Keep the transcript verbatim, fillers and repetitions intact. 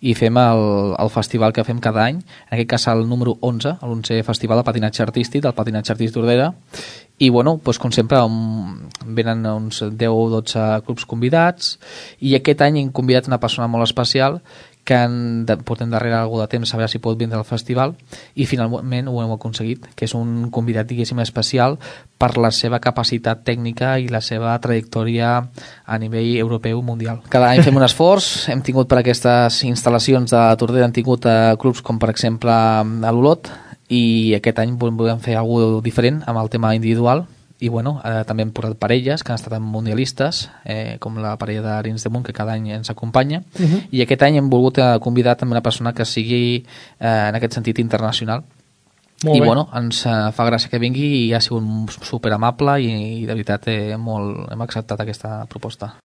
i fem el, el festival que fem cada any, en aquest cas el número onze, l'onzè Festival de Patinatge Artístic, del Patinatge Artístic Tordera, i bueno, doncs, com sempre um, venen uns deu o dotze clubs convidats, i aquest any hem convidat una persona molt especial que en, de, portem darrere algú de temps a veure si pot vindre al festival, i finalment ho hem aconseguit, que és un convidat diguéssim especial per la seva capacitat tècnica i la seva trajectòria a nivell europeu mundial. Cada any fem un esforç, hem tingut per aquestes instal·lacions de Tordera, hem tingut eh, clubs com per exemple a l'Olot, i aquest any volem fer alguna cosa diferent amb el tema individual, i bueno, eh, també hem portat parelles que han estat mundialistes, eh, com la parella d'Arins de Munt, que cada any ens acompanya, uh -huh. i aquest any hem volgut eh, convidar també una persona que sigui eh, en aquest sentit internacional. Molt I bé. Bueno, ens eh, fa gràcia que vingui, i ha sigut super amable, i, i de veritat eh, molt, hem acceptat aquesta proposta.